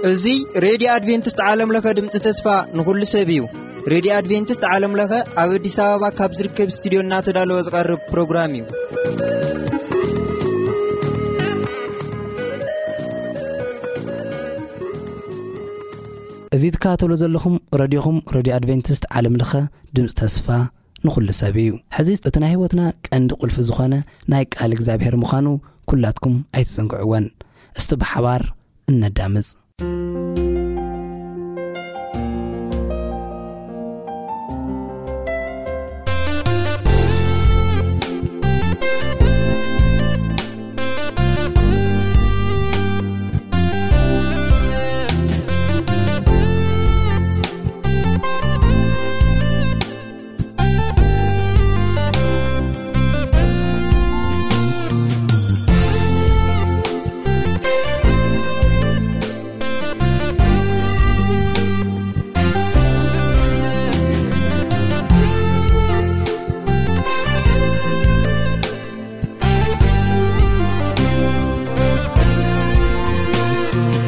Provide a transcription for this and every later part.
እዚ ሬድዮ ኣድቬንቲስት ዓለም ለኸ ድምፂ ተስፋ ንኹሉ ሰብ እዩ። ሬድዮ ኣድቬንቲስት ዓለም ለኸ ኣብ ኣዲስ ኣበባ ካብ ዝርከብ ስቱዲዮ እናተዳለወ ዝቐርብ ፕሮግራም እዩ። እዚ ትከታተሉ ዘለኹም ረድዮኹም፣ ረድዮ ኣድቬንቲስት ዓለም ለኸ ድምፂ ተስፋ ንኹሉ ሰብ እዩ። ሕዚ እቲ ናይ ህይወትና ቀንዲ ቁልፊ ዝኾነ ናይ ቃል እግዚኣብሔር ምዃኑ ኩላትኩም ኣይትዘንግዕወን። እስቲ ብሓባር እነዳምፅ።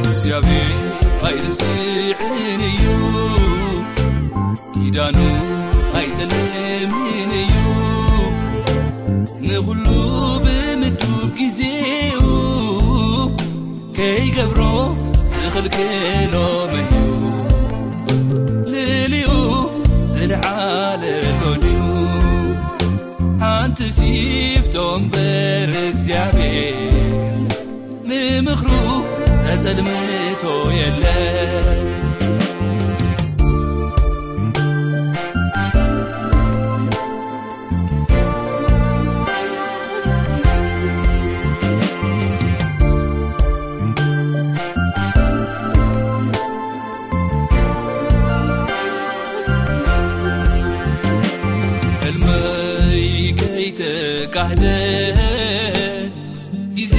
እግዚኣብሔር ኣይርስዕን እዩ፣ ኪዳኑ ኣይጠልምን እዩ። ንኹሉ ብምዱብ ግዜኡ ከይገብሮ ዝኽልክሎ መን እዩ? ልዕሊኡ ዝለዓለ ኣሎ ድዩ? ሓንቲ ሲፍቶ እምበር እግዚኣብሔር ንምኽሩ ዘጸልምቶ የለን። ሕልመይ ከይተጋህደ ግዜ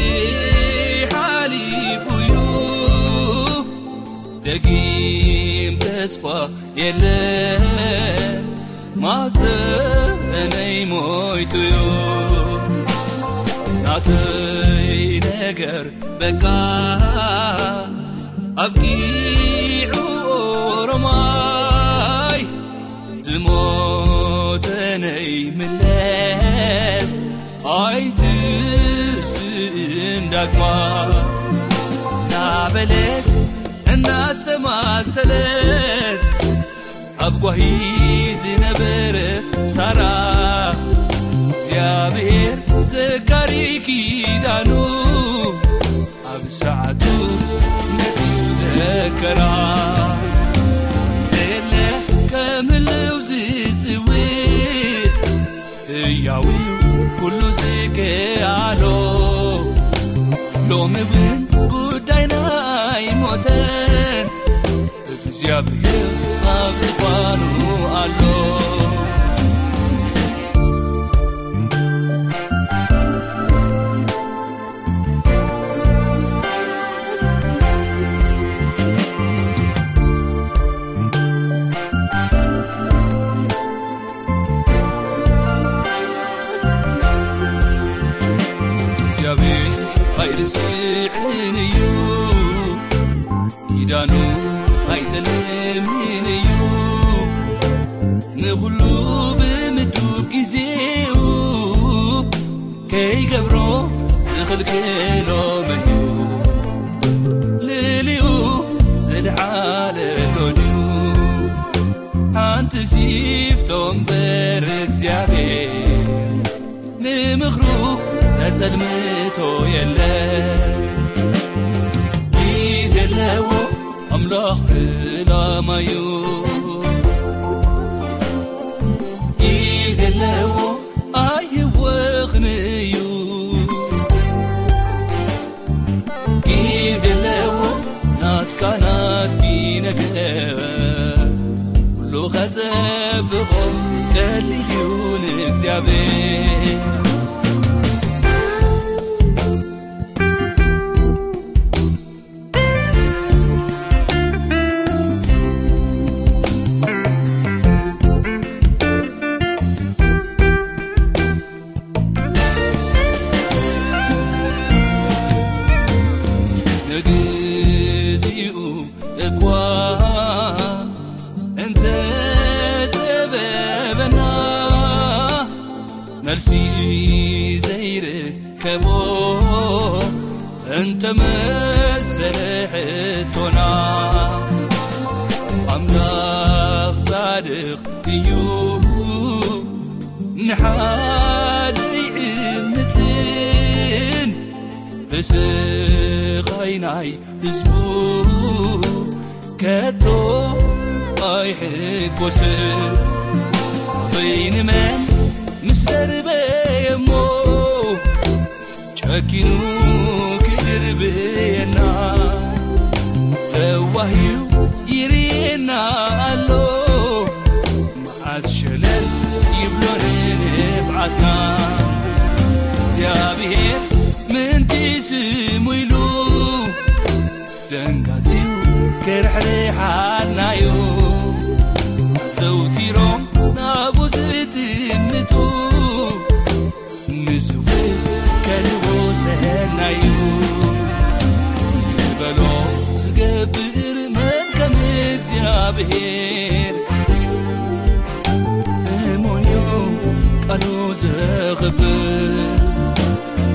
ሓሊፉ እዩ፣ ደጊም ተስፋ የለን፣ ማሕፀነይ ሞይቱ እዩ። ናተይ ነገር በቃ ኣብቂዑ፣ ኦሮማይ ዝሞተ ነይ ምለስ ኣይትስእን ዳግማ። እናበለት እናሰማሰለት ኣብ ጓሂ ዝነበረ ሳራ፣ እግዚኣብሔር ዘካሪ ኪዳኑ ኣብ ሰዓቱ ነቲ ዘከራ። የለ ከም ህልው ዝጽውዕ ህያው እዩ ኩሉ ዝከኣሎ። ሎሚ እውን ጉዳይና ኣይሞተን፣ እግዚኣብሔር ኣብ ዝፋኑ ኣሎ። እግዚኣብሔር ኣይርስዕን እዩ፣ ኪዳኑ ኣይጠልምን እዩ። ንኹሉ ብምዱብ ግዜኡ ከይገብሮ ዝኽልክሎ መን እዩ? ልዕሊኡ ዝለዓለ ኣሎ ድዩ? ሓንቲ ሲፍቶ እምበር እግዚኣብሔር ንምኽሩ ዘጸልምቶ የለን። ግዜ ኣለዎ ኣምላኽ ዕላማዩ፣ ግዜ ኣለዎ ኣይህወኽን እዩ። ግዜ ኣለዎ ናትካ ናትኪ ነገር፣ ኩሉ ኸጸብቖ ቀሊል እዩ ንእግዚኣብሔር። መልሲ ዘይርከቦ እንተመሰለ ሕቶና፣ ኣምላኽ ጻድቕ እዩ፣ ንሓደ ይዕምጽን ብስቓይ ናይ ህዝቡ ከቶ ኣይሕጎስን። በይንመን ምስ ደርበየሞ ጨኪኑ ክድርብየና፣ ለዋህዩ ይርየና ኣሎ። መዓት ሸለል ይብሎ ንብዓትና። እግዚኣብሔር ምእንቲ ስሙ ኢሉ ደንጋጺው ክርሕርሓናዩ። ዘውቲሮም ናቡ ዝጥምቱ ንስውእ ከልቦ ሰናዩ። ዝበሎ ዝገብር መን ከም እግዚኣብሔር? እሙን እዩ ቃሉ ዘኽብር።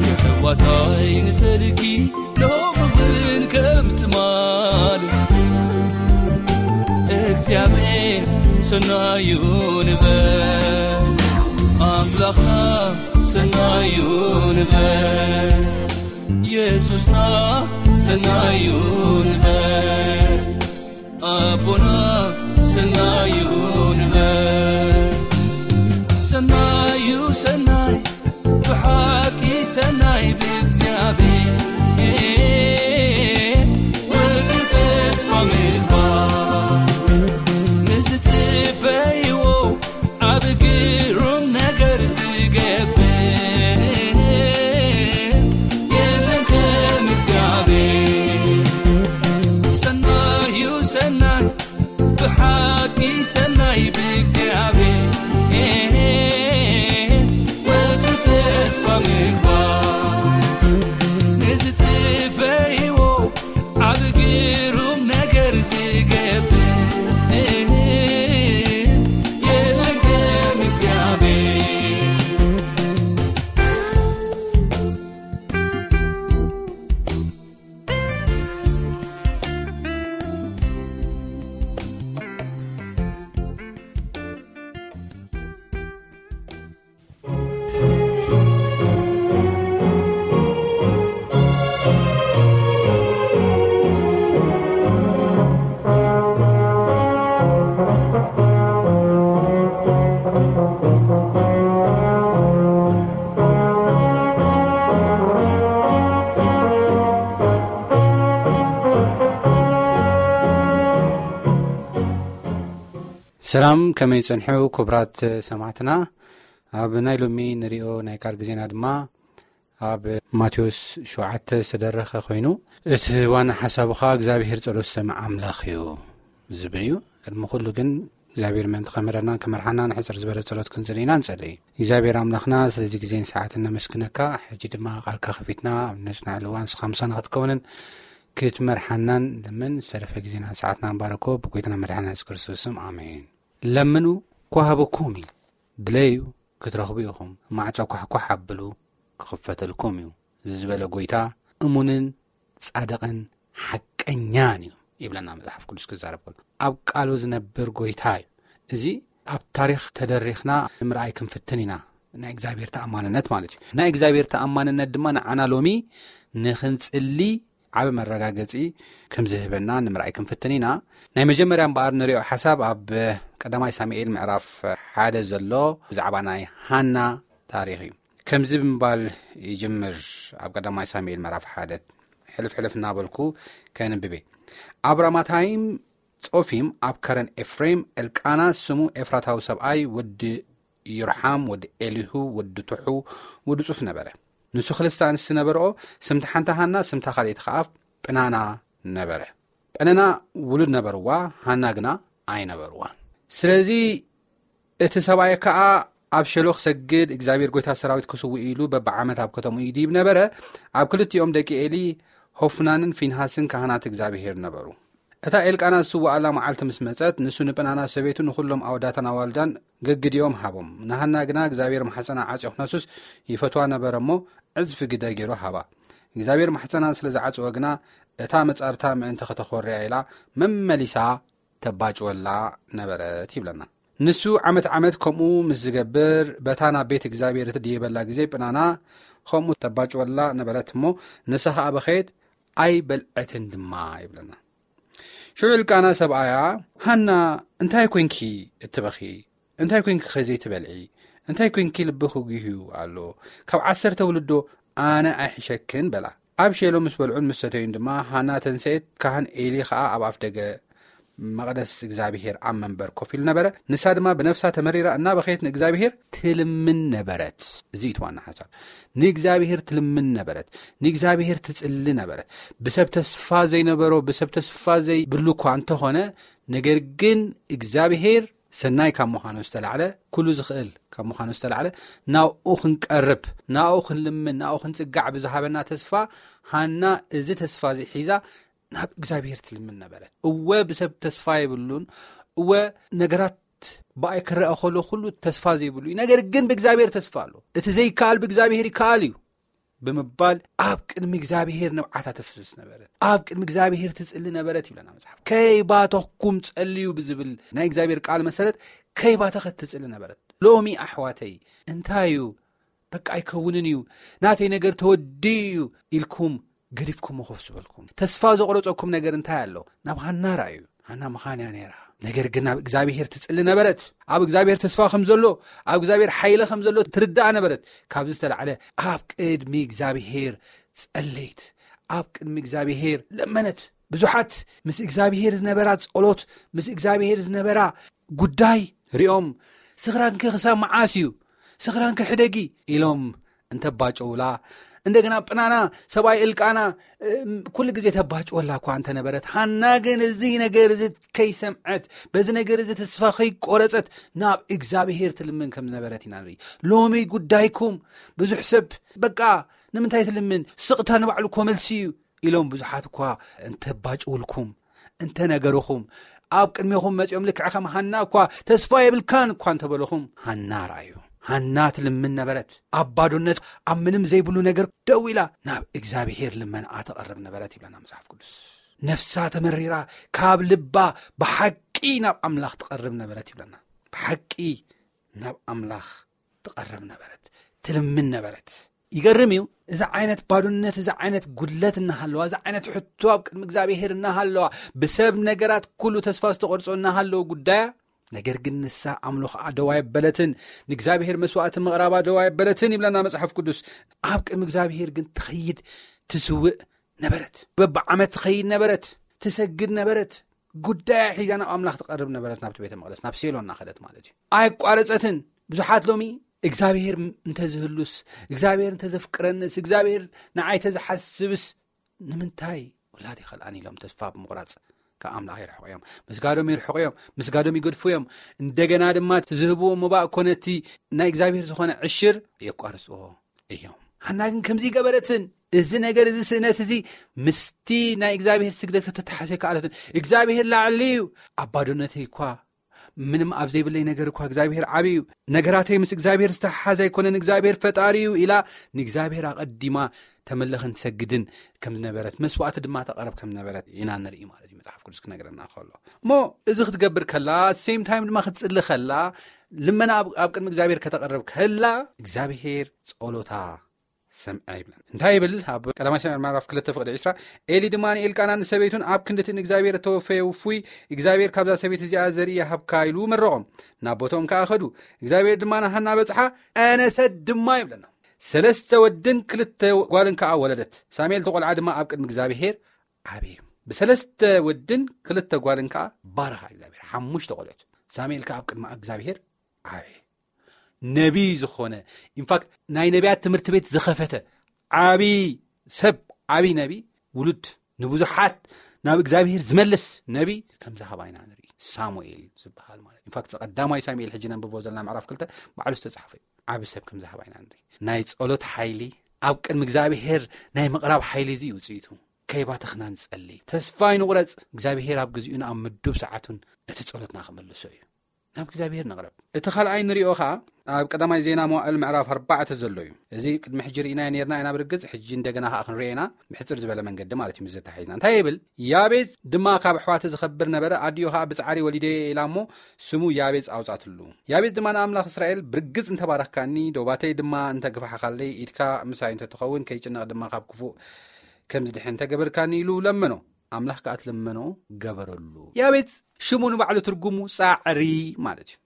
የሕዋታይ ንሰልኪ ሎሚ እውን ከም ትማል እግዚኣብሔር ሰናዩ ንበል። ኣምላኽና ሰናዩ ንበል። የሱስና ሰናዩ ንበል። ኣቦና ሰናዩ ንበል። ሰናዩ ሰናይ፣ ብሓቂ ሰናይ ብእግዚኣብሔር ወትሩ ተስፋ ምግባር። ንዝጽበይዎ ዓቢ ግሩም ነገር ዝገብር የለን ከም እግዚኣብሔር። ሰናዩ ሰናይ፣ ብሓቂ ሰናይ ብእግዚኣብሔር ወትሩ ተስፋ ምግባር። ንዝጽበይዎ ዓቢ ግሩም ነገር ዝገብር የለን ከም እግዚኣብሔር። ሰላም፣ ከመይ ጸንሑ ክቡራት ሰማዕትና? ኣብ ናይ ሎሚ ንሪኦ ናይ ቃል ግዜና ድማ ኣብ ማቴዎስ ሸውዓተ ዝተደረኸ ኮይኑ፣ እቲ ዋና ሓሳቡ ኸኣ እግዚኣብሄር ጸሎት ዝሰምዕ ኣምላኽ እዩ ዝብል እዩ። ቅድሚ ኩሉ ግን እግዚኣብሄር ምእንቲ ከምህረናን ክመርሓናን ሕጽር ዝበለ ጸሎት ክንጽሊ ኢና ንጸሊ። እግዚኣብሄር ኣምላኽና ስለዚ ግዜን ሰዓትን ነመስግነካ። ሕጂ ድማ ቃልካ ከፊትና ኣብ ነጽናዕሉ እዋን ንስኻ ምሳና ክትከውንን ክትመርሓናን ለምን ዝተረፈ ግዜና ሰዓትና ንባረኮ ብጎይታና መድሓና የሱስ ክርስቶስ ስም ኣሜን። ለምኑ ክወሃበኩም እዩ፣ ድለዩ ክትረኽቡ ኢኹም፣ ማዕጾ ኳሕኳሕ ኣብሉ ክኽፈተልኩም እዩ ዝበለ ጎይታ እሙንን ጻድቕን ሓቀኛን እዩ ይብለና መጽሓፍ ቅዱስ ክዛረብ ከሎ። ኣብ ቃሉ ዝነብር ጎይታ እዩ። እዚ ኣብ ታሪኽ ተደሪኽና ንምርኣይ ክንፍትን ኢና። ናይ እግዚኣብሔር ተኣማንነት ማለት እዩ። ናይ እግዚኣብሔር ተኣማንነት ድማ ንዓና ሎሚ ንኽንጽሊ ዓቢ መረጋገጺ ከም ዝህበና ንምርኣይ ክንፍትን ኢና። ናይ መጀመርያ እምበኣር ንሪኦ ሓሳብ ኣብ ቀዳማይ ሳሙኤል ምዕራፍ ሓደ ዘሎ ብዛዕባ ናይ ሃና ታሪኽ እዩ። ከምዚ ብምባል ይጅምር። ኣብ ቀዳማይ ሳሙኤል ምዕራፍ ሓደ ሕልፍ ሕልፍ እናበልኩ ከንብቤ። ኣብ ራማታይም ጾፊም ኣብ ከረን ኤፍሬም፣ ኤልቃና ስሙ ኤፍራታዊ ሰብኣይ፣ ወዲ ይርሓም፣ ወዲ ኤሊሁ፣ ወዲ ቱሑ፣ ወዲ ጹፍ ነበረ። ንሱ ክልተ ኣንስቲ ነበርኦ፣ ስምቲ ሓንቲ ሃና፣ ስምታ ካልኣይቲ ኸኣ ጵናና ነበረ። ጳኒና ውሉድ ነበርዋ፣ ሃና ግና ኣይነበርዋን። ስለዚ እቲ ሰብኣይ ከኣ ኣብ ሸሎ ክሰግድ፣ እግዚኣብሔር ጐይታ ሰራዊት ክስውእ ኢሉ በብዓመት ኣብ ከተምኡ ይድይብ ነበረ። ኣብ ክልቲኦም ደቂ ኤሊ፣ ሆፍናንን ፊንሃስን ካህናት እግዚኣብሔር ነበሩ። እታ ኤልቃና ዝስውኣላ መዓልቲ ምስ መጸት፣ ንሱ ንጳኒና ሰበይቱ ንኹሎም ኣወዳታን ኣዋልዳን ገግዲኦም ሃቦም። ንሃና ግና እግዚኣብሔር ማሕፀና ዓፅዮ ክነሱስ ይፈትዋ ነበረ እሞ ዕፅፊ ግደ ገይሩ ሃባ። እግዚኣብሔር ማሕፀና ስለ ዝዓፅወ ግና እታ መፃርታ ምእንቲ ከተኾርያ ኢላ መመሊሳ ተባጭወላ ነበረት ይብለና። ንሱ ዓመት ዓመት ከምኡ ምስ ዝገብር በታ ናብ ቤት እግዚኣብሔር እትድይበላ ግዜ ፕናና ከምኡ ተባጭወላ ነበረት እሞ ንሳ ኸዓ በኸየት ኣይበልዐትን ድማ ይብለና። ሽዑ እልቃና ሰብኣያ፣ ሃና እንታይ ኮንኪ እትበኺ? እንታይ ኮንኪ ኸ ዘይትበልዒ? እንታይ ኮንኪ ልብኺ ጉህዩ ኣሎ? ካብ ዓሰርተ ውልዶ ኣነ ኣይሕሸክን በላ። ኣብ ሼሎ ምስ በልዑን ምስ ሰተዩን ድማ ሃና ተንሰኤት፣ ካህን ኤሊ ኸዓ ኣብ ኣፍ ደገ መቕደስ እግዚኣብሔር ኣብ መንበር ኮፍ ኢሉ ነበረ። ንሳ ድማ ብነፍሳ ተመሪራ እናበኸየት ንእግዚኣብሔር ትልምን ነበረት። እዚ እዩ እቲ ዋና ሓሳብ። ንእግዚኣብሔር ትልምን ነበረት። ንእግዚኣብሔር ትጽሊ ነበረት። ብሰብ ተስፋ ዘይነበሮ፣ ብሰብ ተስፋ ዘይብሉ እኳ እንተኾነ፣ ነገር ግን እግዚኣብሔር ሰናይ ካብ ምዃኑ ዝተላዕለ፣ ኩሉ ዝኽእል ካብ ምዃኑ ዝተላዕለ፣ ናብኡ ክንቀርብ፣ ናብኡ ክንልምን፣ ናብኡ ክንጽጋዕ ብዝሃበና ተስፋ፣ ሃና እዚ ተስፋ እዚ ሒዛ ናብ እግዚኣብሔር ትልምን ነበረት። እወ ብሰብ ተስፋ የብሉን፣ እወ ነገራት ብኣይ ክረአ ከሎ ኩሉ ተስፋ ዘይብሉ እዩ። ነገር ግን ብእግዚኣብሔር ተስፋ ኣሎ። እቲ ዘይከኣል ብእግዚኣብሔር ይከኣል እዩ ብምባል ኣብ ቅድሚ እግዚኣብሔር ንብዓታ ተፍስስ ነበረት። ኣብ ቅድሚ እግዚኣብሔር ትጽሊ ነበረት ይብለና መጽሓፍ። ከይባተኽኩም ጸልዩ ብዝብል ናይ እግዚኣብሔር ቃል መሰረት ከይባተኸት ትጽሊ ነበረት። ሎሚ ኣሕዋተይ እንታይ እዩ? በቃ ኣይከውንን እዩ፣ ናተይ ነገር ተወዲኡ እዩ ኢልኩም ገዲፍኩሞ ኮፍ ዝበልኩም። ተስፋ ዘቑረጸኩም ነገር እንታይ ኣሎ? ናብ ሃና ርኣዩ። ሃና ምኻን እያ ነይራ። ነገር ግን ናብ እግዚኣብሔር ትጽሊ ነበረት። ኣብ እግዚኣብሔር ተስፋ ከም ዘሎ፣ ኣብ እግዚኣብሔር ሓይሊ ከም ዘሎ ትርዳእ ነበረት። ካብዚ ዝተላዕለ ኣብ ቅድሚ እግዚኣብሔር ጸለይት፣ ኣብ ቅድሚ እግዚኣብሔር ለመነት። ብዙሓት ምስ እግዚኣብሔር ዝነበራ ጸሎት፣ ምስ እግዚኣብሔር ዝነበራ ጉዳይ ሪኦም፣ "ስኽራንኪ ክሳብ መዓስ እዩ? ስኽራንኪ ሕደጊ?" ኢሎም እንተባጨውላ፣ እንደገና ፕናና ሰብኣይ እልቃና፣ እም፣ ኩሉ ግዜ ተባጭወላ እኳ እንተነበረት፣ ሃና ግን እዚ ነገር እዚ ከይሰምዐት፣ በዚ ነገር እዚ ተስፋ ከይቆረጸት ናብ እግዚኣብሔር ትልምን ከም ዝነበረት ኢና ንርኢ። ሎሚ ጉዳይኩም ብዙሕ ሰብ፣ "በቃ ንምንታይ ትልምን? ስቕታ ንባዕሉ እኮ መልሲ እዩ" ኢሎም ብዙሓት እኳ እንተባጭውልኩም፣ እንተነገርኹም፣ ኣብ ቅድሜኹም መጺኦም ልክዕ ከም ሃና እኳ "ተስፋ የብልካን" እኳ እንተበልኹም፣ ሃና ረኣዩ። ሃና ትልምን ነበረት። ኣብ ባዶነት፣ ኣብ ምንም ዘይብሉ ነገር ደው ኢላ ናብ እግዚኣብሔር ልመናኣ ተቐርብ ነበረት ይብለና መጽሓፍ ቅዱስ። ነፍሳ ተመሪራ፣ ካብ ልባ ብሓቂ ናብ ኣምላኽ ትቐርብ ነበረት ይብለና። ብሓቂ ናብ ኣምላኽ ትቐርብ ነበረት፣ ትልምን ነበረት። ይገርም እዩ። እዚ ዓይነት ባዶነት፣ እዚ ዓይነት ጉድለት እናሃለዋ፣ እዚ ዓይነት ሕቶ ኣብ ቅድሚ እግዚኣብሔር እናሃለዋ፣ ብሰብ ነገራት ኩሉ ተስፋ ዝተቖርጾ እናሃለወ ጉዳያ፣ ነገር ግን ንሳ ኣምልኾኣ ደው ኣየበለትን፣ ንእግዚኣብሔር መስዋዕቲ ምቕራባ ደው ኣየበለትን ይብለና መጽሓፍ ቅዱስ። ኣብ ቅድሚ እግዚኣብሔር ግን ትኸይድ፣ ትስውእ ነበረት። በብዓመት ትኸይድ ነበረት፣ ትሰግድ ነበረት። ጉዳያ ሒዛ ናብ ኣምላኽ ትቐርብ ነበረት፣ ናብቲ ቤተ መቕደስ፣ ናብ ሴሎ እናኸደት ማለት እዩ። ኣየቋረጸትን። ብዙሓት ሎሚ እግዚኣብሔር እንተዝህሉስ፣ እግዚኣብሔር እንተዘፍቅረንስ፣ እግዚኣብሔር ንዓይ ተዝሓስብስ፣ ንምንታይ ውላድ ይኸልኣን ኢሎም ተስፋ ብምቑራጽ ካብ ኣምላኽ ይርሕቑ እዮም። ምስጋዶም ይርሕቑ እዮም፣ ምስጋዶም ይገድፉ እዮም። እንደገና ድማ እቲ ዝህብዎ መባእ ኮነ እቲ ናይ እግዚኣብሔር ዝኾነ ዕሽር የቋርጽዎ እዮም። ሓና ግን ከምዚ ገበረትን። እዚ ነገር፣ እዚ ስእነት እዚ ምስቲ ናይ እግዚኣብሔር ስግደት ከተተሓሰ ከኣለትን። እግዚኣብሔር ላዕሊ እዩ። ኣብ ባዶነተይ እኳ፣ ምንም ኣብ ዘይብለይ ነገር እኳ እግዚኣብሔር ዓቢ እዩ። ነገራተይ ምስ እግዚኣብሔር ዝተሓሓዘ ኣይኮነን፣ እግዚኣብሔር ፈጣሪ እዩ ኢላ ንእግዚኣብሔር ኣቐዲማ ተምልኽን ትሰግድን ከም ዝነበረት፣ መስዋዕቲ ድማ ተቐርብ ከም ዝነበረት ኢና ንርኢ ማለት እዩ መጽሓፍ ቅዱስ ክነግረና ከሎ። እሞ እዚ ክትገብር ከላ፣ ሴም ታይም ድማ ክትጽሊ ከላ፣ ልመና ኣብ፣ ኣብ ቅድሚ እግዚኣብሔር ከተቐርብ ከላ፣ እግዚኣብሔር ጸሎታ ሰምዐ ይብለን። እንታይ ይብል? ኣብ ቀዳማይ ሳሙኤል ምዕራፍ ክልተ ፍቕዲ ዕስራ፣ "ኤሊ ድማ ንኤልቃናን ንሰበይቱን ኣብ ክንዲ እቲ ንእግዚኣብሔር እተወፈየ ውፉይ እግዚኣብሔር ካብዛ ሰበይቲ እዚኣ ዘርኢ ይሃብካ" ኢሉ መረቖም። ናብ ቦትኦም ከኣ ኸዱ። እግዚኣብሔር ድማ ንሃና በጽሓ፣ ኣነሰት ድማ ይብለና። ሰለስተ ወድን ክልተ ጓልን ከኣ ወለደት። ሳሙኤል እቲ ቈልዓ ድማ ኣብ ቅድሚ እግዚኣብሔር ዓብየ። ብሰለስተ ወድን ክልተ ጓልን ከኣ ባረኻ እግዚኣብሔር። ሓሙሽተ ቈልዑት። ሳሙኤል ከኣ ኣብ ቅድሚ እግዚኣብሔር ዓብየ። ነቢይ ዝኾነ፣ ኢንፋክት ናይ ነቢያት ትምህርቲ ቤት ዝኸፈተ ዓብይ ሰብ፣ ዓብይ ነቢይ፣ ውሉድ ንብዙሓት ናብ እግዚኣብሔር ዝመልስ ነቢይ ከም ዝሃባ ኢና ንርኢ። ሳሙኤል ዝበሃል ማለት። ኢንፋክት ቀዳማይ ሳሙኤል ሕጂ ነንብቦ ዘለና ምዕራፍ ክልተ ባዕሉ ዝተጻሕፈ እዩ። ዓቢ ሰብ ከም ዝሃባ ኢና ንርኢ። ናይ ጸሎት ሓይሊ፣ ኣብ ቅድሚ እግዚኣብሔር ናይ ምቕራብ ሓይሊ እዚ እዩ ውጽኢቱ። ከይባተኽና ንጸሊ። ተስፋ ኣይንቑረጽ። እግዚኣብሔር ኣብ ግዚኡን ኣብ ምዱብ ሰዓቱን እቲ ጸሎትና ክምልሶ እዩ። ናብ እግዚኣብሔር ንቕረብ። እቲ ካልኣይ ንሪኦ ኸዓ ኣብ ቀዳማይ ዜና መዋእል ምዕራፍ ኣርባዕተ ዘሎ እዩ። እዚ ቅድሚ ሕጂ ርኢናዮ ነርና ኢና ብርግጽ፣ ሕጂ እንደገና ኸዓ ክንሪኦ ኢና፣ ብሕጽር ዝበለ መንገዲ ማለት እዩ። ምስ ዘተሓሒዝና እንታይ ይብል? ያቤጽ ድማ ካብ ኣሕዋቱ ዝኸብር ነበረ፣ ኣዲኡ ኸዓ ብጻዕሪ ወሊደዮ ኢላ እሞ ስሙ ያቤጽ ኣውጻትሉ። ያቤጽ ድማ ንኣምላኽ እስራኤል፣ ብርግጽ እንተባረኽካኒ፣ ዶባተይ ድማ እንተግፋሕካለይ፣ ኢድካ ምሳይ እንተትኸውን፣ ከይጭነቕ ድማ ካብ ክፉእ ከም ዝድሕን እንተገበርካኒ ኢሉ ለመኖ። ኣምላኽ ከኣ ትለመኖ ገበረሉ። ያቤጽ ሽሙ ንባዕሉ ትርጉሙ ጻዕሪ ማለት እዩ።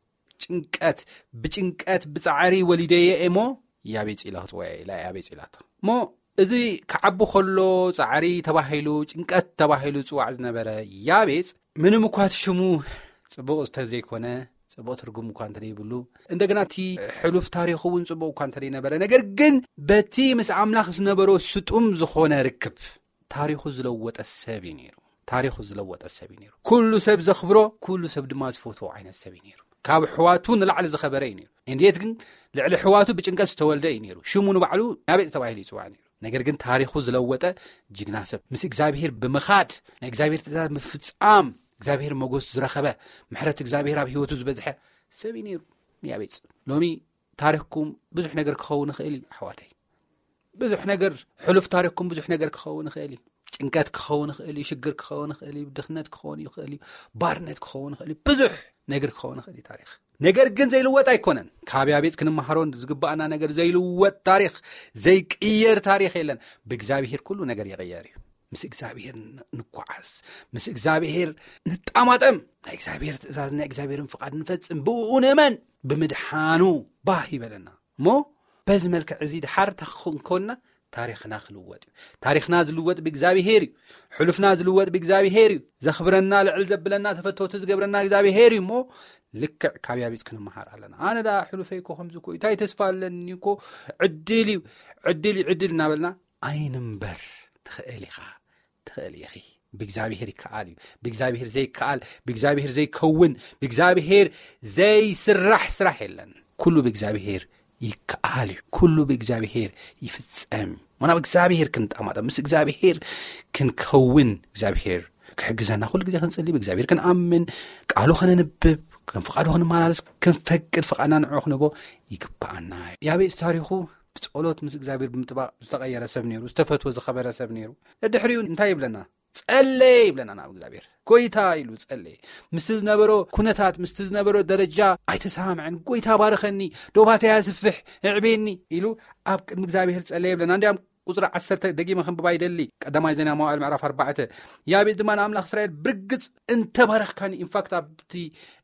ጭንቀት፣ ብጭንቀት ብጻዕሪ ወሊደየ እሞ ያቤጽ ኢላ ክጽውያ ኢላ ያቤጽ ኢላቶ። እሞ እዚ ክዓቢ ከሎ ጻዕሪ ተባሂሉ፣ ጭንቀት ተባሂሉ ዝጽዋዕ ዝነበረ ያቤጽ፣ ምንም እኳ እቲ ሽሙ ጽቡቕ እንተዘይኮነ፣ ጽቡቕ ትርጉም እኳ እንተደይብሉ፣ እንደገና እቲ ሕሉፍ ታሪኹ እውን ጽቡቕ እኳ እንተደይነበረ፣ ነገር ግን በቲ ምስ ኣምላኽ ዝነበሮ ስጡም ዝኾነ ርክብ ታሪኹ ዝለወጠ ሰብ እዩ ነይሩ። ታሪኹ ዝለወጠ ሰብ እዩ ነይሩ። ኩሉ ሰብ ዘኽብሮ፣ ኩሉ ሰብ ድማ ዝፈትዎ ዓይነት ሰብ እዩ ነይሩ። ካብ ኣሕዋቱ ንላዕሊ ዝኸበረ እዩ ነይሩ። እንዴት ግን ልዕሊ ኣሕዋቱ ብጭንቀት ዝተወልደ እዩ ነይሩ። ሽሙ ንባዕሉ ያቤጽ ተባሂሉ ይጽዋዕ ነይሩ። ነገር ግን ታሪኹ ዝለወጠ ጅግና ሰብ፣ ምስ እግዚኣብሔር ብምኻድ፣ ናይ እግዚኣብሔር ትእዛዝ ምፍጻም፣ እግዚኣብሔር መጎስ ዝረኸበ፣ ምሕረት እግዚኣብሔር ኣብ ህይወቱ ዝበዝሐ ሰብ እዩ ነይሩ ያቤጽ። ሎሚ ታሪኽኩም ብዙሕ ነገር ክኸውን ይኽእል እዩ ኣሕዋተይ። ብዙሕ ነገር፣ ሕሉፍ ታሪኽኩም ብዙሕ ነገር ክኸውን ይኽእል እዩ። ጭንቀት ክኸውን ይኽእል እዩ፣ ሽግር ክኸውን ይኽእል እዩ፣ ድኽነት ክኸውን ይኽእል እዩ፣ ባርነት ክኸውን ይኽእል እዩ፣ ብዙሕ ነገር ክኸውን ይኽእል እዩ ታሪኽ። ነገር ግን ዘይልወጥ ኣይኮነን። ካብ ያቤጽ ክንመሃሮን ዝግባኣና ነገር ዘይልወጥ ታሪኽ፣ ዘይቅየር ታሪኽ የለን። ብእግዚኣብሔር ኩሉ ነገር ይቕየር እዩ። ምስ እግዚኣብሔር ን-፣ ንጓዓዝ፣ ምስ እግዚኣብሔር ንጣማጠም፣ ናይ እግዚኣብሔር ትእዛዝ፣ ናይ እግዚኣብሔርን ፍቓድ ንፈጽም፣ ብእኡ ንእመን፣ ብምድሓኑ ባህ ይበለና። እሞ በዚ መልክዕ እዚ ድሓር እንታይ ክንኮንና? ታሪኽና ክልወጥ እዩ። ታሪኽና ዝልወጥ ብእግዚኣብሔር እዩ። ሕሉፍና ዝልወጥ ብእግዚኣብሔር እዩ። ዘኽብረና፣ ልዕል ዘብለና፣ ተፈተውቲ ዝገብረና እግዚኣብሔር እዩ። እሞ ልክዕ ካብ ያቤጽ ክንመሃር ኣለና። ኣነ ደኣ ሕሉፈይ እኮ ከምዚ እኮ እዩ፣ እንታይ ተስፋ ኣለኒ እኮ፣ ዕድል እዩ፣ ዕድል እዩ፣ ዕድል እናበልና ኣይንንበር። ትኽእል ኢኻ፣ ትኽእል ኢኺ። ብእግዚኣብሔር ይከኣል እዩ። ብእግዚኣብሔር ዘይከኣል፣ ብእግዚኣብሔር ዘይከውን፣ ብእግዚኣብሔር ዘይስራሕ ስራሕ የለን። ኩሉ ብእግዚኣብሔር ይከኣል እዩ። ኩሉ ብእግዚኣብሔር ይፍጸም እዩ። ምናብ እግዚኣብሔር ክንጣማጠም፣ ምስ እግዚኣብሔር ክንከውን፣ እግዚኣብሔር ክሕግዘና ኩሉ ግዜ ክንጽሊ፣ ብእግዚኣብሔር ክንኣምን፣ ቃሉ ከነንብብ፣ ከም ፍቓዱ ክንመላለስ ክንፈቅድ፣ ፍቓድና ንዕኡ ክንህቦ ይግብኣና እዩ። ያቤጽ ታሪኹ ብጸሎት ምስ እግዚኣብሔር ብምጥባቕ ዝተቐየረ ሰብ ነይሩ፣ ዝተፈትወ ዝኸበረ ሰብ ነይሩ። ድሕሪኡ እንታይ ይብለና? ጸለየ ይብለና ናብ እግዚኣብሔር። ጎይታ ኢሉ ጸለየ። ምስቲ ዝነበሮ ኩነታት፣ ምስቲ ዝነበሮ ደረጃ ኣይተሰማምዐን። ጎይታ ባርኸኒ፣ ዶባተይ ኣስፍሕ፣ እዕቤኒ ኢሉ ኣብ ቅድሚ እግዚኣብሔር ጸለየ ይብለና። እንዲያም ቁጽሪ ዓሰርተ ደጊመ ከንብባ ይደሊ። ቀዳማይ ዜና መዋዕል ምዕራፍ ኣርባዕተ። ያቤጽ ድማ ንኣምላኽ እስራኤል ብርግጽ እንተባረኽካኒ፣ ኢንፋክት ኣብቲ፣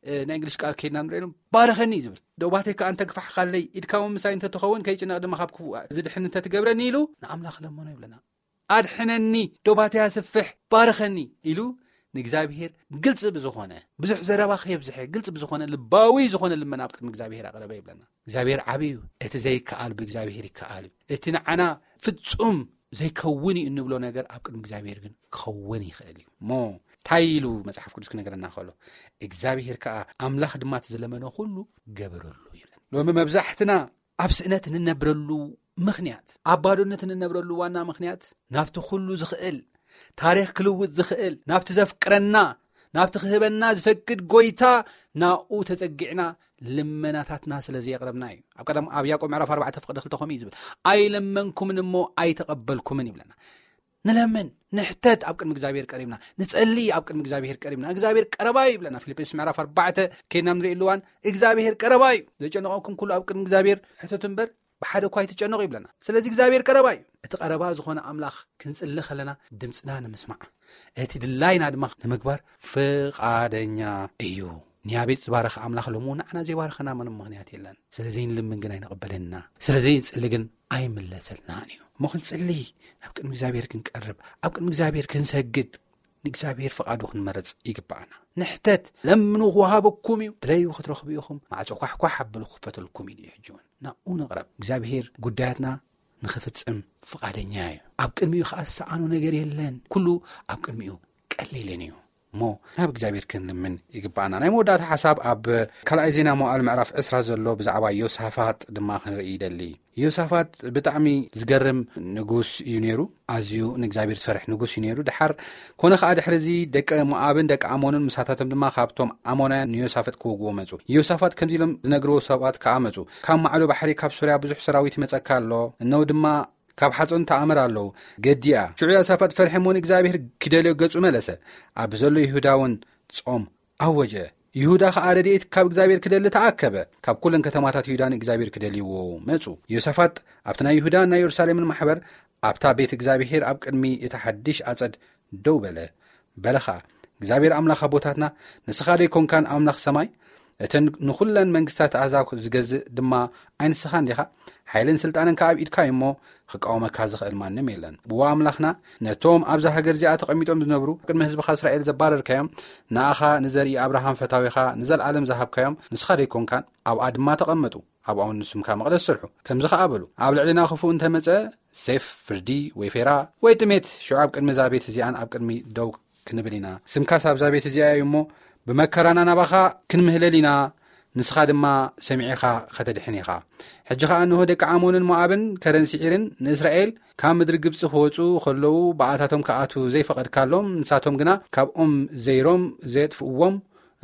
እ፣ ናይ እንግሊሽ ቃል ከይድና ንሪኦ፣ ባርኸኒ እዩ ዝብል። ዶባተይ ከኣ እንተግፋሕካለይ፣ ኢድካ እውን ምሳይ እንተትኸውን፣ ከይጭነቕ ድማ ካብ ክፉእ ዝድሕን እንተትገብረኒ ኢሉ ንኣምላኽ ለመኖ ይብለና። ኣድሕነኒ፣ ዶባተይ ኣስፍሕ፣ ባርኸኒ ኢሉ ንእግዚኣብሔር ግልጺ ብዝኾነ፣ ብዙሕ ዘረባ ከየብዝሐ፣ ግልጺ ብዝኾነ፣ ልባዊ ዝኾነ ልመና ኣብ ቅድሚ እግዚኣብሔር ኣቕረበ ይብለና። እግዚኣብሔር ዓቢ እዩ። እቲ ዘይከኣል ብእግዚኣብሔር ይከኣል እዩ። እቲ ንዓና ፍጹም ዘይከውን እዩ እንብሎ ነገር ኣብ ቅድሚ እግዚኣብሔር ግን ክኸውን ይኽእል እዩ። እሞ እንታይ ኢሉ መጽሓፍ ቅዱስ ክነገረና ከሎ፣ እግዚኣብሔር ከኣ ኣምላኽ ድማ እቲ ዝለመኖ ኩሉ ገበረሉ ይብለና። ሎሚ መብዛሕትና ኣብ ስእነት እንነብረሉ ምኽንያት፣ ኣብ ባዶነት እንነብረሉ ዋና ምኽንያት፣ ናብቲ ኩሉ ዝኽእል፣ ታሪኽ ክልውጥ ዝኽእል፣ ናብቲ ዘፍቅረና፣ ናብቲ ክህበና ዝፈቅድ ጎይታ ናብኡ ተጸጊዕና ልመናታትና ስለ ዘየቕረብና እዩ። ኣብ ቀደም፣ ኣብ ያዕቆብ ምዕራፍ ኣርባዕተ ፍቕዲ ክልተ ከምኡ እዩ ዝብል፣ "ኣይለመንኩምን እሞ ኣይተቐበልኩምን" ይብለና። ንለምን፣ ንሕተት፣ ኣብ ቅድሚ እግዚኣብሔር ቀሪብና፣ ንጸሊ፣ ኣብ ቅድሚ እግዚኣብሔር ቀሪብና፣ እግዚኣብሔር ቀረባ እዩ ይብለና። ፊልጵስ ምዕራፍ ኣርባዕተ ከይና ንርኢ ኣለዋን፣ እግዚኣብሔር ቀረባ እዩ። ዘጨነቐኩም ኩሉ ኣብ ቅድሚ እግዚኣብሔር ሕተቱ እምበር፣ ብሓደ እኳ ኣይትጨነቑ ይብለና። ስለዚ እግዚኣብሔር ቀረባ እዩ። እቲ ቀረባ ዝኾነ ኣምላኽ ክንጽሊ ከለና ድምፅና ንምስማዕ፣ እቲ ድላይና ድማ ንምግባር ፍቓደኛ እዩ። ንያቤጽ ዝባረኸ ኣምላኽ ሎሚ እውን ንዓና ዘይባረኸና ምንም ምኽንያት የለን። ስለ ዘይንልምን ግን ኣይንቕበለና፣ ስለ ዘይንጽሊ ግን ኣይምለሰልናን እዩ። እሞ ክንጽሊ፣ ኣብ ቅድሚ እግዚኣብሔር ክንቀርብ፣ ኣብ ቅድሚ እግዚኣብሔር ክንሰግድ፣ ንእግዚኣብሔር ፍቓዱ ክንመርጽ ይግብኣና። ንሕተት፣ ለምኑ ክወሃበኩም እዩ፣ ድለዩ ክትረኽቡ ኢኹም፣ ማዕጾ ኳሕኳሕ ኣብሉ ክኸፈተልኩም እዩ። ሕጂ እውን ናብኡ ንቕረብ። እግዚኣብሔር ጉዳያትና ንኽፍጽም ፍቓደኛ እዩ። ኣብ ቅድሚኡ ኸኣ ዝሰኣኖ ነገር የለን። ኩሉ ኣብ ቅድሚኡ ቀሊልን እዩ። እሞ ናብ እግዚኣብሔር ክንልምን ይግባኣና። ናይ መወዳእታ ሓሳብ ኣብ ካልኣይ ዜና መዋዕል ምዕራፍ ዕስራ ዘሎ ብዛዕባ ዮሳፋጥ ድማ ክንርኢ ይደሊ። ዮሳፋጥ ብጣዕሚ ዝገርም ንጉስ እዩ ነይሩ። ኣዝዩ ንእግዚኣብሔር ዝፈርሕ ንጉስ እዩ ነይሩ። ድሓር ኮነ ከኣ ድሕሪ እዚ ደቂ ሞኣብን ደቂ ኣሞንን ምሳታቶም ድማ ካብቶም ኣሞናውያን ንዮሳፋጥ ክወግዎ መጹ። ዮሳፋጥ ከምዚ ኢሎም ዝነግርዎ ሰባት ከኣ መጹ። ካብ ማዕዶ ባሕሪ ካብ ሶርያ ብዙሕ ሰራዊት ይመጸካ ኣሎ። እነው ድማ ካብ ሓጾን ተኣምር ኣለዉ። ገዲኣ ሽዑ ዮሳፋጥ ፈርሒ እሞ ንእግዚኣብሔር ክደልዮ ገጹ መለሰ። ኣብ ዘሎ ይሁዳ እውን ጾም ኣወጀ። ይሁዳ ኸኣ ረድኤት ካብ እግዚኣብሔር ክደሊ ተኣከበ። ካብ ኩለን ከተማታት ይሁዳ ንእግዚኣብሔር ክደልይዎ መጹ። ዮሳፋጥ ኣብቲ ናይ ይሁዳን ናይ የሩሳሌምን ማሕበር ኣብታ ቤት እግዚኣብሔር ኣብ ቅድሚ እታ ሓድሽ ኣጸድ ደው በለ። በለ ኸኣ እግዚኣብሔር ኣምላኽ ኣቦታትና ንስኻ ዶ ኣይኮንካን ኣምላኽ ሰማይ? እተን ንኹለን መንግስታት ኣሕዛብ ዝገዝእ ድማ ኣይንስኻን ዲኻ? ሓይልን ስልጣንን ከኣ ኣብ ኢድካ እዩ እሞ ክቃወመካ ዝኽእል ማንም የለን። እዋ ኣምላኽና ነቶም ኣብዛ ሃገር እዚኣ ተቐሚጦም ዝነብሩ ቅድሚ ህዝብኻ እስራኤል ዘባረርካዮም ንኣኻ ንዘርኢ ኣብርሃም ፈታዊኻ ንዘለኣለም ዝሃብካዮም ንስኻ ዶ ኣይኮንካን? ኣብኣ ድማ ተቐመጡ ኣብኣውን ንስምካ መቕደስ ስርሑ። ከምዚ ኸኣ በሉ ኣብ ልዕሌና ክፉእ እንተመጸ ሴፍ ፍርዲ ወይ ፌራ ወይ ጥሜት ሽዑ ኣብ ቅድሚ እዛ ቤት እዚኣን ኣብ ቅድሚ ደው ክንብል ኢና። ስምካስ ኣብዛ ቤት እዚኣ እዩ እሞ ብመከራና ናባኻ ክንምህለል ኢና። ንስኻ ድማ ሰሚዒኻ ኸተድሕን ኢኻ። ሕጂ ኸኣ እንሆ ደቂ ዓሞንን ሞኣብን ከረን ስዒርን ንእስራኤል ካብ ምድሪ ግብጺ ክወጹ ኸለዉ ብኣታቶም ክኣቱ ዘይፈቐድካሎም ንሳቶም ግና ካብኦም ዘይሮም ዘየጥፍእዎም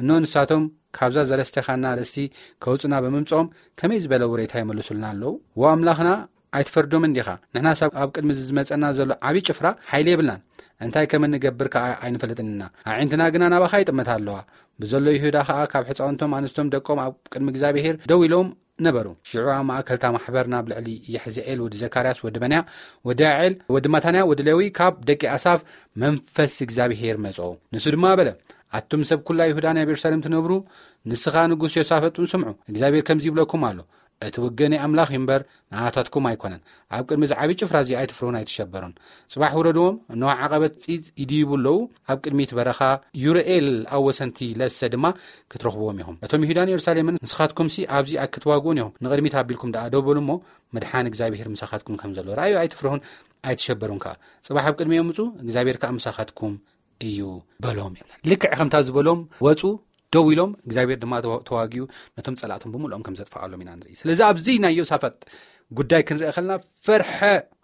እኖ ንሳቶም ካብዛ ዘለስተኻና ርስቲ ከውጽና ብምምጾም ከመይ ዝበለ ውሬታ ይመልሱልና ኣለዉ? ዎ ኣምላኽና ኣይትፈርዶምን ዲኻ? ንሕናስ ኣብ ቅድሚ ዝመጸና ዘሎ ዓብዪ ጭፍራ ሓይሊ የብልናን። እንታይ ከም እንገብር ከኣ ኣይንፈልጥን ኢና። ኣዒንትና ግና ናባኻ ይጥመታ ኣለዋ። ብዘሎ ይሁዳ ከኣ ካብ ሕጻውንቶም ኣንስቶም ደቆም ኣብ ቅድሚ እግዚኣብሔር ደው ኢሎም ነበሩ። ሽዑ ኣብ ማእከልታ ማሕበር ናብ ልዕሊ የሕዝኤል ወዲ ዘካርያስ ወዲ በንያ ወዲ ያዕል ወዲ ማታንያ ወዲ ሌዊ ካብ ደቂ ኣሳፍ መንፈስ እግዚኣብሔር መጾ። ንሱ ድማ በለ ኣቱም ሰብ ኩላ ይሁዳ ናይ የሩሳሌም ትነብሩ ንስኻ ንጉስ ዮሳፈጥን ስምዑ። እግዚኣብሔር ከምዚ ይብለኩም ኣሎ እቲ ውግእ ናይ ኣምላኽ እዩ እምበር ንኣታትኩም ኣይኮነን። ኣብ ቅድሚ እዚ ዓብዪ ጭፍራ እዚ ኣይትፍርሁን ኣይትሸበሩን። ጽባሕ ውረድዎም እነሆ ዓቐበት ጺጽ ይድይቡ ኣለዉ። ኣብ ቅድሚት በረኻ ዩርኤል ኣብ ወሰንቲ ለሰ ድማ ክትረኽብዎም ኢኹም። እቶም ይሁዳን የሩሳሌምን ንስኻትኩምሲ ኣብዚ ኣክትዋግኡን ኢኹም። ንቕድሚት ኣቢልኩም ደኣ ደው በሉ እሞ ምድሓን እግዚኣብሔር ምሳኻትኩም ከም ዘሎ ረኣዩ። ኣይትፍርሁን ኣይትሸበሩን ከኣ። ጽባሕ ኣብ ቅድሚኦም ምጹ እግዚኣብሔር ከኣ ምሳኻትኩም እዩ በሎም ይብለን። ልክዕ ከምታ ዝበሎም ወጹ። ደው ኢሎም እግዚኣብሔር ድማ ተዋጊኡ ነቶም ጸላእቶም ብምልኦም ከም ዘጥፍኣሎም ኢና ንርኢ። ስለዚ ኣብዚ ናይ ዮሳፋጥ ጉዳይ ክንርኢ ከለና ፈርሐ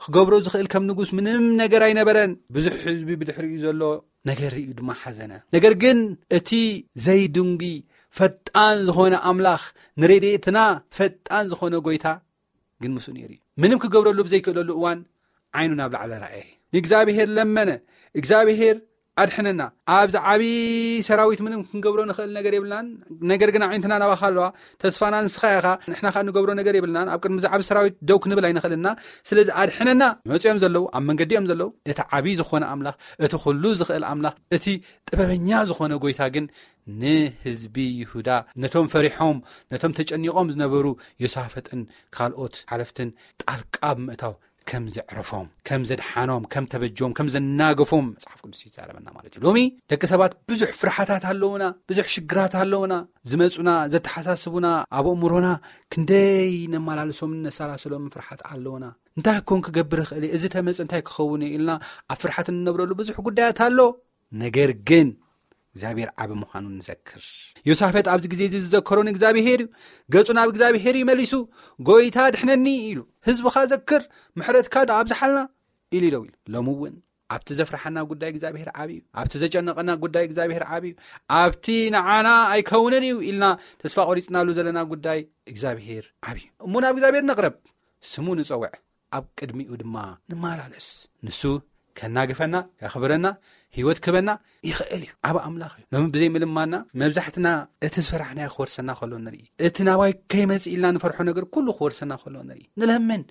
ክገብሮ ዝኽእል ከም ንጉስ ምንም ነገር ኣይነበረን። ብዙሕ ህዝቢ ብድሕሪኡ ዘሎ ነገር ርእዩ ድማ ሓዘነ። ነገር ግን እቲ ዘይድንጉ ፈጣን ዝኾነ ኣምላኽ ንረድኤትና ፈጣን ዝኾነ ጎይታ ግን ምስኡ ነይሩ እዩ። ምንም ክገብረሉ ብዘይክእለሉ እዋን ዓይኑ ናብ ላዕሊ ረኣየ። ንእግዚኣብሔር ለመነ። እግዚኣብሔር ኣድሕነና። ኣብዚ ዓብዪ ሰራዊት ምንም ክንገብሮ ንኽእል ነገር የብልናን። ነገር ግን ኣዒንትና ናባኻ ኣለዋ። ተስፋና ንስኻ ኢኻ። ንሕና ከኣ ንገብሮ ነገር የብልናን። ኣብ ቅድሚ እዚ ዓብዪ ሰራዊት ደው ክንብል ኣይንኽእልና። ስለዚ ኣድሕነና። መጺኦም ዘለዉ፣ ኣብ መንገዲ እዮም ዘለዉ። እቲ ዓብዪ ዝኾነ ኣምላኽ፣ እቲ ኩሉ ዝኽእል ኣምላኽ፣ እቲ ጥበበኛ ዝኾነ ጎይታ ግን ንህዝቢ ይሁዳ፣ ነቶም ፈሪሖም፣ ነቶም ተጨኒቖም ዝነበሩ ዮሳፈጥን ካልኦት ሓለፍትን ጣልቃ ብምእታው ከም ዘዕረፎም፣ ከም ዘድሓኖም፣ ከም ተበጆም፣ ከም ዘናገፎም መጽሓፍ ቅዱስ ይዛረበና ማለት እዩ። ሎሚ ደቂ ሰባት ብዙሕ ፍርሓታት ኣለውና፣ ብዙሕ ሽግራት ኣለውና፣ ዝመጹና፣ ዘተሓሳስቡና፣ ኣብ ኣእምሮና ክንደይ ነመላልሶምን ነሰላስሎምን ፍርሓት ኣለውና። እንታይ ኮን ክገብር እኽእል እየ? እዚ ተመጽ እንታይ ክኸውን እዩ? ኢልና ኣብ ፍርሓት እንነብረሉ ብዙሕ ጉዳያት ኣሎ። ነገር ግን እግዚኣብሔር ዓቢ ምዃኑ ንዘክር። ዮሳፈጥ ኣብዚ ግዜ እዚ ዝዘከሮ ንእግዚኣብሔር እዩ። ገጹ ናብ እግዚኣብሔር እዩ መሊሱ፣ "ጎይታ ድሕነኒ" ኢሉ። "ህዝብኻ ዘክር፣ ምሕረትካ ዶ ኣብዝሓልና" ኢሉ ደው ኢሉ። ሎሚ እውን ኣብቲ ዘፍርሓና ጉዳይ እግዚኣብሔር ዓቢ እዩ። ኣብቲ ዘጨነቐና ጉዳይ እግዚኣብሔር ዓቢ እዩ። ኣብቲ ንዓና ኣይከውንን እዩ ኢልና ተስፋ ቆሪጽናሉ ዘለና ጉዳይ እግዚኣብሔር ዓቢ እዩ። እሞ ናብ እግዚኣብሔር ንቕረብ፣ ስሙ ንጸውዕ፣ ኣብ ቅድሚኡ ድማ ንመላለስ። ንሱ ከናግፈና፣ ከኽብረና፣ ህይወት ክህበና ይኽእል እዩ። ዓቢ ኣምላኽ እዩ። ሎሚ ብዘይ ምልማና መብዛሕትና እቲ ዝፈራሕናዮ ክወርሰና ከሎ ንርኢ። እቲ ናባይ ከይመጽእ ኢልና ንፈርሖ ነገር ኩሉ ክወርሰና ከሎ ንርኢ። ንለምን፣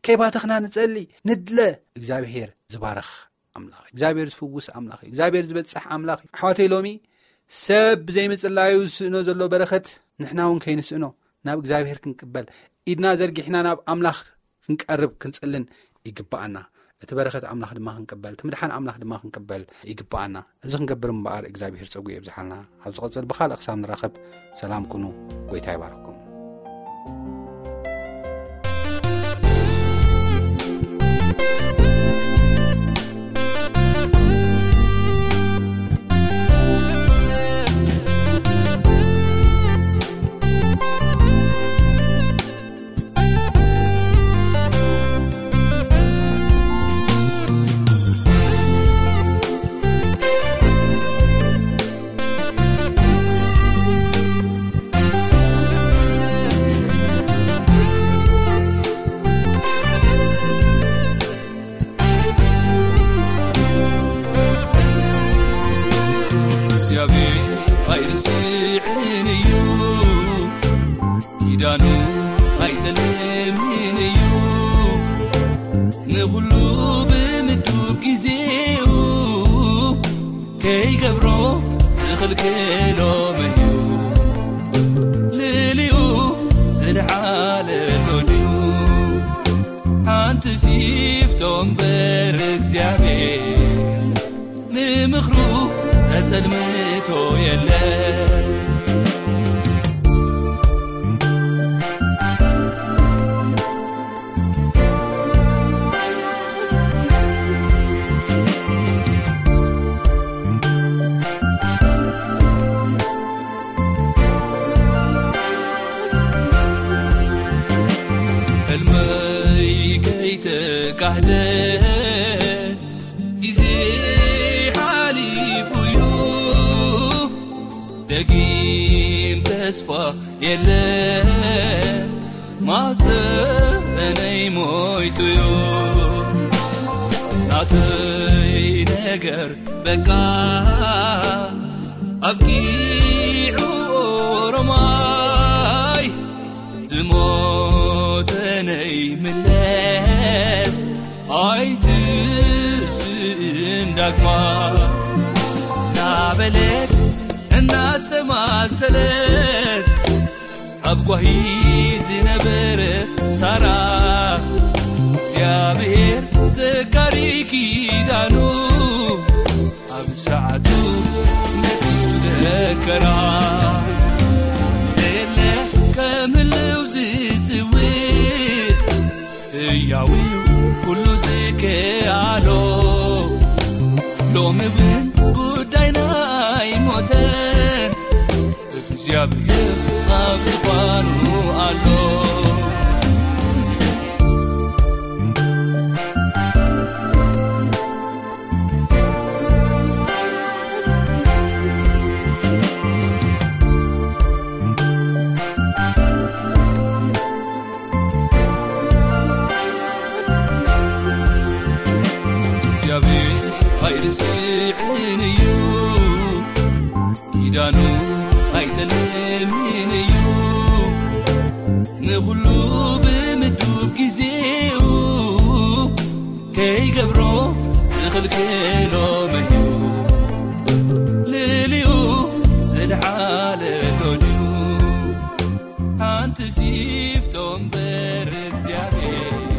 ከይባተኽና ንጸሊ፣ ንድለ። እግዚኣብሔር ዝባርኽ ኣምላኽ እዩ። እግዚኣብሔር ዝፍውስ ኣምላኽ እዩ። እግዚኣብሔር ዝበጽሕ ኣምላኽ እዩ። ኣሕዋተይ ሎሚ ሰብ ብዘይምጽላዩ ዝስእኖ ዘሎ በረኸት ንሕና እውን ከይንስእኖ ናብ እግዚኣብሔር ክንቅበል ኢድና ዘርጊሕና ናብ ኣምላኽ ክንቀርብ ክንጽልን ይግብኣና። እቲ በረኸት ኣምላኽ ድማ ክንቅበል፣ እቲ ምድሓን ኣምላኽ ድማ ክንቅበል ይግብኣና። እዚ ክንገብር እምበኣር እግዚኣብሔር ጸጉ የብዝሓልና። ኣብ ዝቐጽል ብኻልእ ክሳብ ንራኸብ ሰላም ኩኑ። ጎይታ ይባርኽኩም። ኣይጠልምን እዩ። ንኹሉ ብምዱብ ግዜኡ ከይገብሮ ዝኽልክሎ መን እዩ? ልዕሊኡ ዝለዓለ ኣሎ ድዩ? ሓንቲ ሲፍቶ እምበር እግዚኣብሔር ንምኽሩ ዘጸልምቶ የለን። ሕልመይ ከይተጋህደ ግዜ ሓሊፉ እዩ። ደጊም ተስፋ የለን፣ ማህፀነይ ሞይቱ እዩ። ናተይ ነገር በቃ ኣብቂዑ። ኦሮማይ ዝሞተ ነይምለስ፣ ኣይትስእን ዳግማ። እናበለት እናሰማሰለት ኣብ ጓሂ ዝነበረ ሳራ፣ እግዚኣብሔር ዘካሪ ኪዳኑ ኣብ ሰዓቱ መጽኡ ዘከራ። የለ ከም ህልው ዝጽውዕ ህያው እዩ ኩሉ ዝከኣሎ። ሎሚ እውን ጉዳይና ኣይሞተን፣ እግዚኣብሔር ኣብ ዝፋኑ ኣሎ። እግዚኣብሔር ኣይርስዕን እዩ፣ ኪዳኑ ኣይጠልምን እዩ። ንኹሉ ብምዱብ ግዜኡ ከይገብሮ ዝኽልክሎ መን እዩ? ልዕሊኡ ዝለዓለ ኣሎ ድዩ? ሓንቲ ሲፍቶ እምበር እግዚኣብሔር